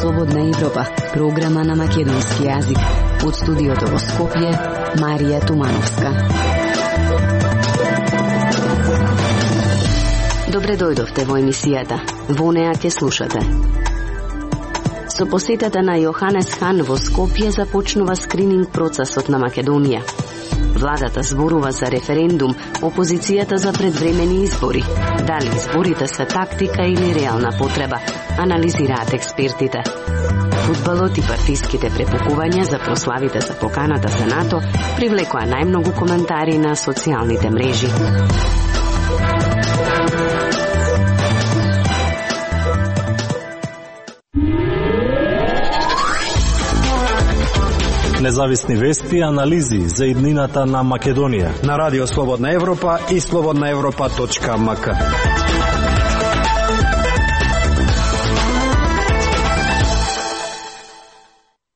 Слободна Европа, програма на македонски јазик. Од студиото во Скопје, Марија Тумановска. Добре дојдовте во емисијата. Во неа ќе слушате. Со посетата на Јоханес Хан во Скопје започнува скрининг процесот на Македонија. Владата зборува за референдум, опозицијата за предвремени избори. Дали изборите се тактика или реална потреба, анализираат експертите. Фудбалот и партиските препукувања за прославите за поканата за НАТО привлекоа најмногу коментари на социјалните мрежи. Независни вести и анализи за иднината на Македонија на Радио Слободна Европа и slobodnaevropa.mk.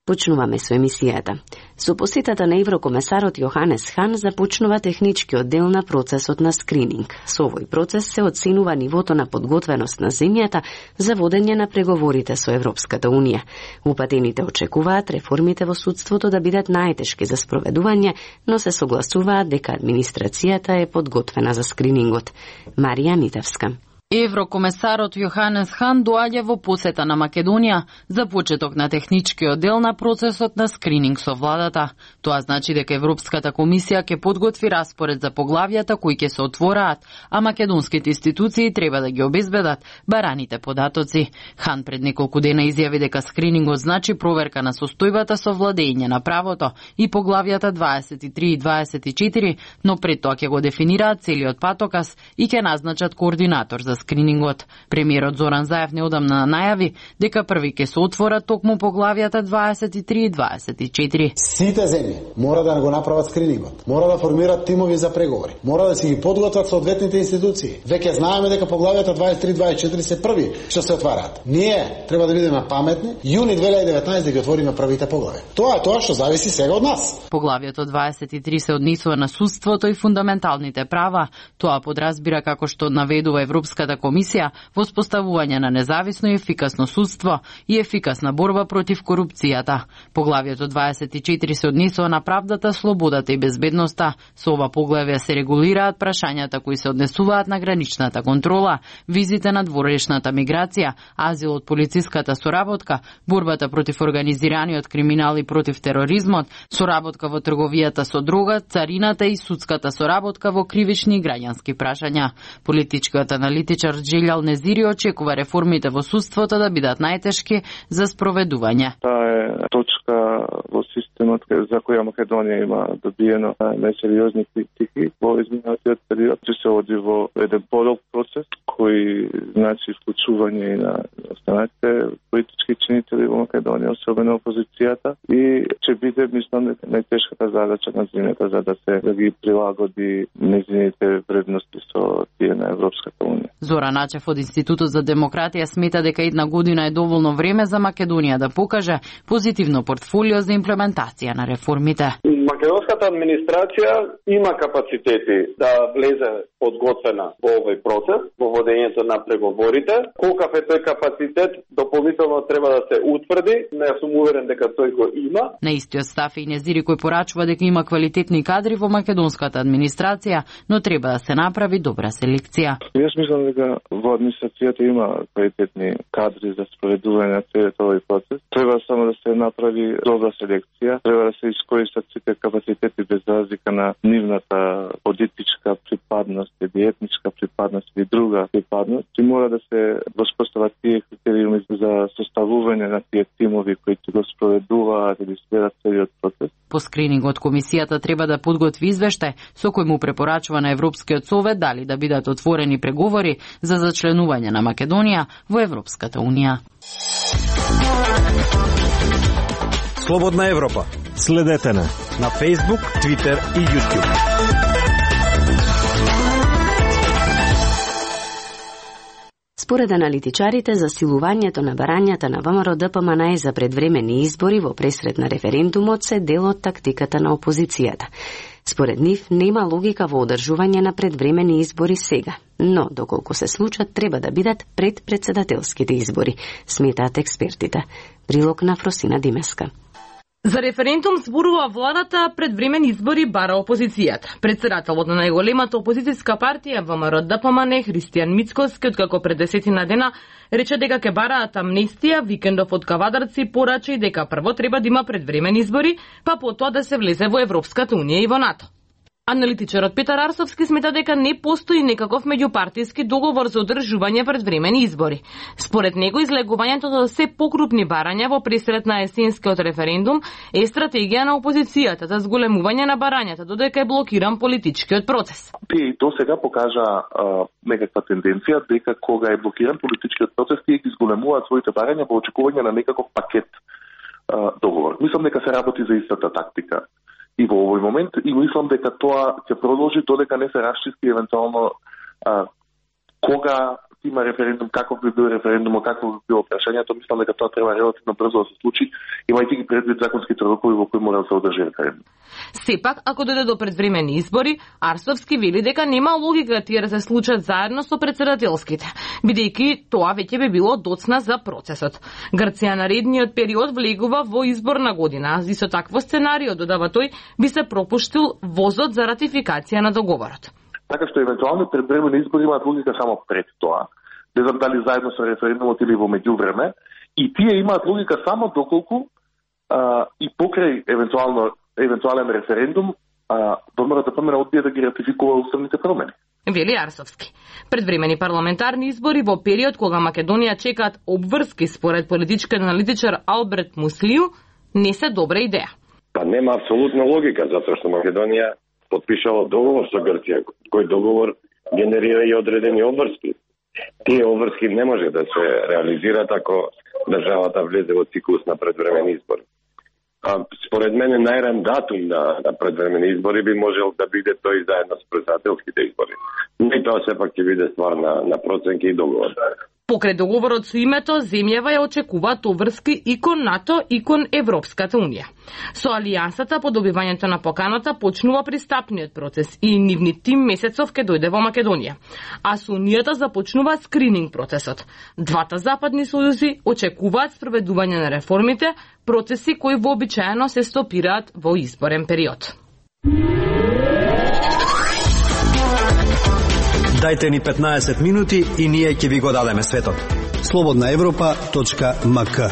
Почнуваме со емисијата. Со посетата на еврокомесарот Јоханес Хан започнува техничкиот дел на процесот на скрининг. Со овој процес се оценува нивото на подготвеност на земјата за водење на преговорите со Европската Унија. Упатените очекуваат реформите во судството да бидат најтешки за спроведување, но се согласуваат дека администрацијата е подготвена за скринингот. Марија Митевска. Еврокомесарот Јоханес Хан доаѓа во посета на Македонија за почеток на техничкиот дел на процесот на скрининг со владата. Тоа значи дека Европската комисија ќе подготви распоред за поглавјата кои ќе се отвораат, а македонските институции треба да ги обезбедат бараните податоци. Хан пред неколку дена изјави дека скринингот значи проверка на состојбата со владење на правото и поглавјата 23 и 24, но пред тоа ќе го дефинираат целиот патоказ и ќе назначат координатор за скринингот. Премиерот Зоран Заев неодамна најави дека први ќе се отворат токму поглавјата 23 и 24. Сите земји мора да го направат скринингот. Мора да формираат тимови за преговори. Мора да си ги подготват соодветните институции. Веќе знаеме дека поглавјата 23 и 24 се први што се отвараат. Ние треба да бидеме паметни, јуни 2019 да ги отвориме првите поглави. Тоа е тоа што зависи сега од нас. Поглавјето 23 се однесува на судството и фундаменталните права. Тоа подразбира, како што наведува Европската комисија, воспоставување на независно и ефикасно судство и ефикасна борба против корупцијата. Поглавјето 24 се однесува на правдата, слободата и безбедноста. Со ова поглавје се регулираат прашањата кои се однесуваат на граничната контрола, визите на дворешната миграција, азилот, полициската соработка, борбата против организираниот криминал и против тероризмот, соработка во трговијата со дрога, царината и судската соработка во кривични и граѓански прашања. Политичкиот аналитичар Джилјал Незири очекува реформите во судството да бидат најтешки за спроведување. Таа е точка во системот за која Македонија има добиено најсериозни критики во изминатиот период. Че се оди во еден подолг процес кој значи вклучување и на останатите политички чинители во Македонија, особено опозицијата, и ќе биде, мислам, најтешката задача на земјата за да ги прилагоди нејзините вредности со тие на Европската Унија. Зоран Ачев од Институтот за демократија смета дека една година е доволно време за Македонија да покаже позитивно портфолио за имплементација на реформите. Македонската администрација има капацитети да влезе подготвена во овој процес, во водењето на преговорите. Колкав е тој капацитет, дополнително треба да се утврди. Не сум уверен дека тој го има. На истиот став и Незири кој порачува дека има квалитетни кадри во македонската администрација, но треба да се направи добра селекција. Јас мислам дека во администрацијата има квалитетни кадри за спроведување на целиот овој процес. Треба само да се направи добра селекција, треба да се искористат сите капацитети без разлика на нивната политичка припадност или етничка припадност или друга припадност. И мора да се воспостават тие критериуми за составување на тие тимови кои ќе го спроведуваат или следат целиот процес. По скринингот комисијата треба да подготви извештај со кој му препорачува на Европскиот совет дали да бидат отворени преговори за зачленување на Македонија во Европската Унија. Слободна Европа. Следете на Facebook, Twitter и YouTube. Според аналитичарите, засилувањето на барањата на ВМРО-ДПМН за предвремени избори во пресред на референдумот се дел од тактиката на опозицијата. Според нив нема логика во одржување на предвремени избори сега, но доколку се случат треба да бидат пред председателските избори, сметаат експертите. Прилог на Фросина Димеска. За референдум зборува владата, предвремени избори бара опозицијата. Председателот на најголемата опозицијска партија ВМРО ДПМН Христијан Мицкоски, откако пред 10 дена рече дека ќе бараат амнестија, викендов од Кавадарци порача и дека прво треба да има предвремени избори, па потоа да се влезе во Европската унија и во НАТО. Аналитичарот Петар Арсовски смета дека не постои некаков меѓупартиски договор за одржување предвремени избори. Според него, излегувањето за се покрупни барања во пресред на есенскиот референдум е стратегија на опозицијата за зголемување на барањата, додека е блокиран политичкиот процес. Тие до сега покажа некаква тенденција дека кога е блокиран политичкиот процес, тие ги зголемуваат своите барања во очекување на некаков пакет договор. Мислам дека се работи за истата тактика и во овој момент, и мислам дека тоа ќе продолжи додека не се расчисти евентуално кога има референдум, каков би бил референдум, какво би било прашањето. Мислам дека тоа треба релативно брзо да се случи, имајќи ги предвид законските рокови во кои мора да се одржи референдум. Сепак, ако дојде до предвремени избори, Арсовски вели дека нема логика тие да се случат заедно со председателските, бидејќи тоа веќе би било доцна за процесот. Грција наредниот период влегува во изборна година, и со такво сценарио, додава тој, би се пропуштил возот за ратификација на договорот. Така што евентуално предвремени избори имаат логика само пред тоа. Не знам дали заедно со референдумот или во меѓувреме. И тие имаат логика само доколку и покрај евентуален референдум ВМРО ДПМН одбие да ги ратификува уставните промени. Вели Арсовски. Предвремени парламентарни избори во период кога Македонија чекаат обврски според политичкиот аналитичар Алберт Муслију не се добра идеја. Па нема апсолутна логика, затоа што Македонија подпишала договор со Грција, кој договор генерира и одредени обврски. Тие обврски не може да се реализираат ако државата влезе во циклус на предвремени избори. Според мене најран датум на предвремени избори би можел да биде тој заедно со председателските избори. Но и тоа сепак ќе биде ствар на проценки и договор. Покрај договорот со името, земјава ја очекуваат обврски и кон НАТО и кон Европската унија. Со алијансата по добивањето на поканата почнува пристапниот процес и нивни тим месецов ќе дојде во Македонија. А со унијата започнува скрининг процесот. Двата западни сојузи очекуваат спроведување на реформите, процеси кои вообичаено се стопираат во изборен период. Дајте ни 15 минути и ние ќе ви го дадеме светот. slobodnaevropa.mk.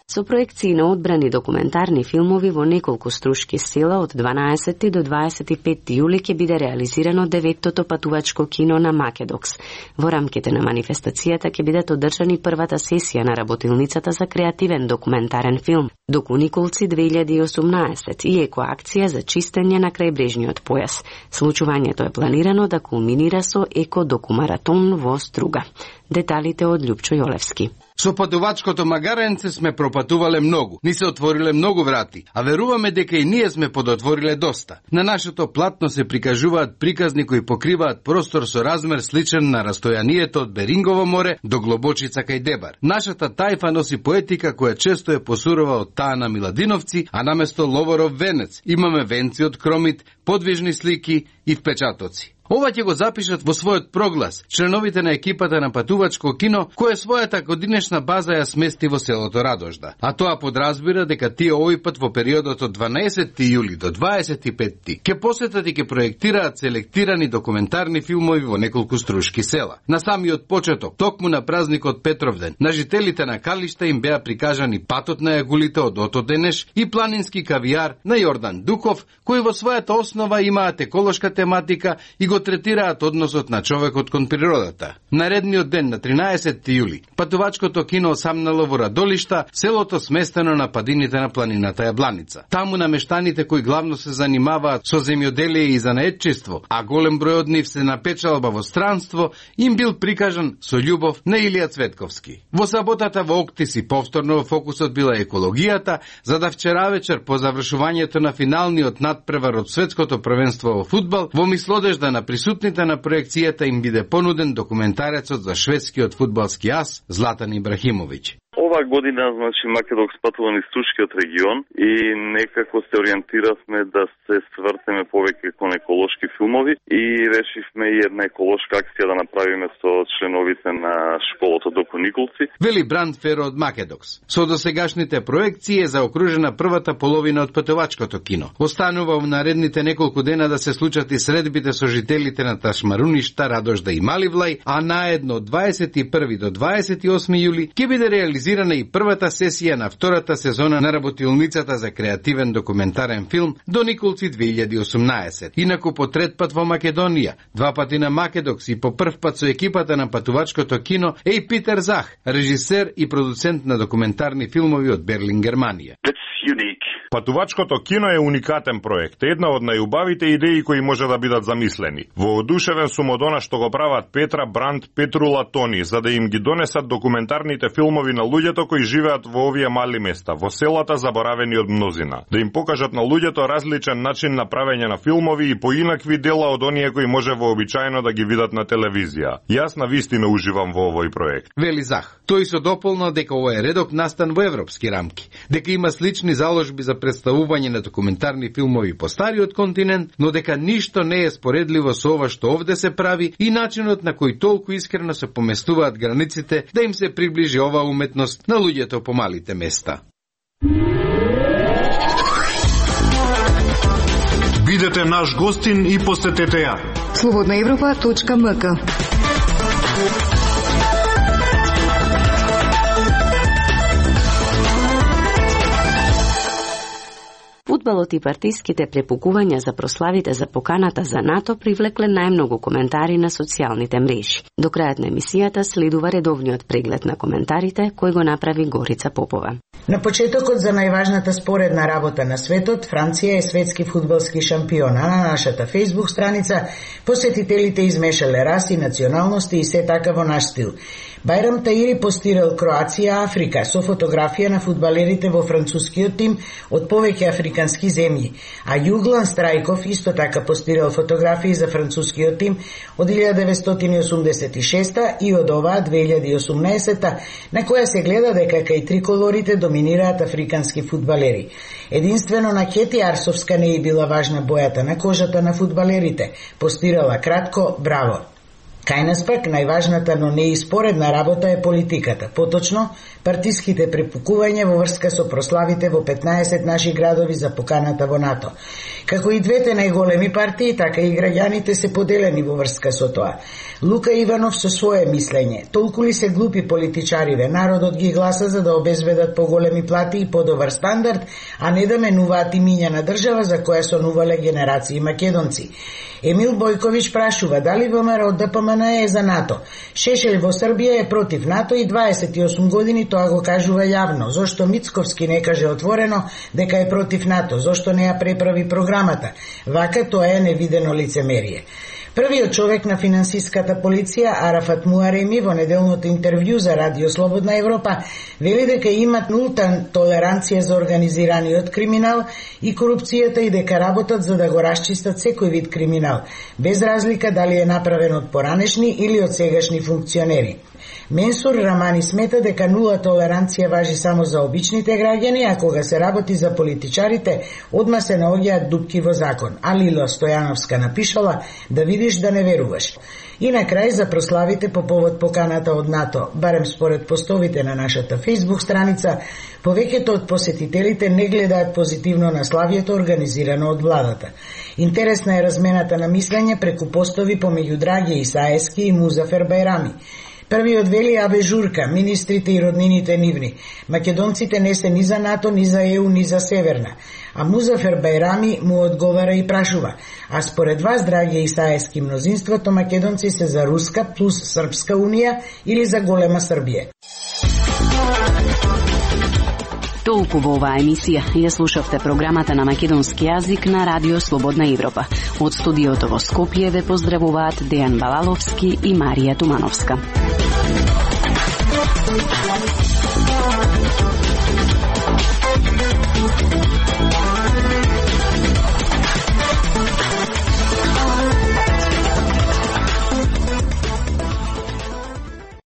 Со проекции на одбрани документарни филмови во неколку струшки села од 12 до 25 јули ќе биде реализирано 9-тото патувачко кино на Македокс. Во рамките на манифестацијата ќе бидат одржани првата сесија на работилницата за креативен документарен филм Доку Николци 2018 и екоакција за чистење на крајбрежниот појас. Случувањето е планирано да кулминира со еко-докумаратон во Струга. Деталите од Љупчо Јолевски. Со патувачкото магаренце сме пропатувале многу, ни се отвориле многу врати, а веруваме дека и ние сме подотвориле доста. На нашето платно се прикажуваат приказни кои покриваат простор со размер сличен на растојанието од Берингово море до Глобочица кај Дебар. Нашата тајфа носи поетика која често е посурова од таа на Миладиновци, а наместо Ловоров венец имаме венци од кромит, подвижни слики и впечатоци. Ова ќе го запишат во својот проглас членовите на екипата на патувачко кино, кој својата годинешна база ја смести во селото Радожда. А тоа подразбира дека тие овој пат во периодот од 12 јули до 25 ќе посетат и ќе проектираат селектирани документарни филмови во неколку струшки села. На самиот почеток, токму на празникот Петровден, на жителите на Калишта им беа прикажани патот на јагулите од Ото Денеш и планински кавијар на Јордан Дуков, кои во својата основа имаат еколошка тематика и го третираат односот на човекот кон природата. Наредниот ден на 13 јули, патувачкото кино самнало во Радолишта, селото сместено на падините на планината Јабланица. Таму намештаните кои главно се занимаваат со земјоделие и занаетчество, а голем број од нив се на печалба во странство, им бил прикажан со љубов на Илија Цветковски. Во саботата во Октиси повторно во фокусот била екологијата, за да вчера вечер по завршувањето на финалниот надпревар од светското првенство во фудбал, во мислодежда на присутните на проекцијата им биде понуден документарецот за шведскиот фудбалски ас Златан Ибрахимовиќ. оваа година, значи, Македокс патува низ Турскиот регион и некако се ориентиравме да се свртеме повеќе кон еколошки филмови и решивме и една еколошка акција да направиме со членовите на школата Доко Николци. Вели Бранд Феро од Македокс. Со досегашните проекции е заокружена првата половина од патувачкото кино. Останува в наредните неколку дена да се случат и средбите со жителите на Ташмаруништа, Радожда и Маливлај, а наедно од 21 до 28 јули ќе биде реализирана и првата сесија на втората сезона на работилницата за креативен документарен филм До Николци 2018. Инаку по трет пат во Македонија, 2 пати на Македокс и по прв пат со екипата на патувачкото кино е и Питер Зах, режисер и продуцент на документарни филмови од Берлин, Германија. Патувачкото кино е уникатен проект, една од најубавите идеи кои може да бидат замислени. Воодушевен сум од она што го прават Петра, Бранд, Петрула, Тони, за да им ги донесат документарните филмови на луѓето кои живеат во овие мали места, во селата заборавени од мнозина. Да им покажат на луѓето различен начин на правење на филмови и поинакви дела од оние кои може вообичаено да ги видат на телевизија. Јас на вистина уживам во овој проект. Вели Зах. Тој со дополна дека овој редок настан во европски рамки, дека има слични заложби за представување на документарни филмови по стариот континент, но дека ништо не е споредливо со ова што овде се прави и начинот на кој толку искрено се поместуваат границите да им се приближи оваа уметност на луѓето по малите места. Бидете наш гостин и посетете ја. Slobodnaevropa.mk. Фудбалот и партиските препукувања за прославите за поканата за НАТО привлекле најмногу коментари на социјалните мрежи. До крајот на емисијата следува редовниот преглед на коментарите кој го направи Горица Попова. На почетокот за најважната споредна работа на светот, Франција е светски фудбалски шампион, а на нашата Facebook страница посетителите измешале раси, националности и се така во наш стил. Бајрам Таири постирал Кроација, Африка, со фотографија на фудбалерите во францускиот тим од повеќе африкански земји, а Југлан Страјков исто така постирал фотографии за францускиот тим од 1986 и од оваа 2018, на која се гледа дека кај триколорите доминираат африкански фудбалери. Единствено на Кети Арсовска не е била важна бојата на кожата на фудбалерите, постирала кратко браво. Кај нас пак најважната, но не и споредна работа е политиката, поточно партиските препукувања во врска со прославите во 15 наши градови за поканата во НАТО. Како и двете најголеми партии, така и граѓаните се поделени во врска со тоа. Лука Иванов со свое мислење: толку ли се глупи политичариве, народот ги гласа за да обезбедат поголеми плати и подобар стандард, а не да менуваат имиња на држава за која сонувале генерации македонци. Емил Бојковиќ прашува дали ВМРО ДПМН е за НАТО. Шешел во Србија е против НАТО и 28 години тоа го кажува јавно. Зошто Мицковски не каже отворено дека е против НАТО? Зошто не ја преправи програмата? Вака тоа е невидено лицемерие. Првиот човек на финансиската полиција, Арафат Муареми, во неделното интервју за Радио Слободна Европа, вели дека имат нулта толеранција за организираниот криминал и корупцијата и дека работат за да го расчистат секој вид криминал, без разлика дали е направен од поранешни или од сегашни функционери. Менсур Рамани смета дека нула толеранција важи само за обичните граѓани, а кога се работи за политичарите, одма се наоѓаат дупки во закон. А Лила Стојановска напишала да видиш да не веруваш. И на крај за прославите по повод поканата од НАТО, барем според постовите на нашата Facebook страница, повеќето од посетителите не гледаат позитивно на славието организирано од владата. Интересна е размената на мислење преку постови помеѓу Драги Исаевски и Музафер Бајрами. Првиот вели абе журка, министрите и роднините нивни. Македонците не се ни за НАТО, ни за ЕУ, ни за Северна. А Музафер Бајрами му одговара и прашува: а според вас, драги Исаевски, мнозинството македонци се за Руска плюс Српска унија или за голема Србија? Толку во оваа емисија ја слушавте програмата на македонски јазик на Радио Слободна Европа. Од студиото во Скопје ве поздравуваат Дејан Балаловски и Марија Тумановска.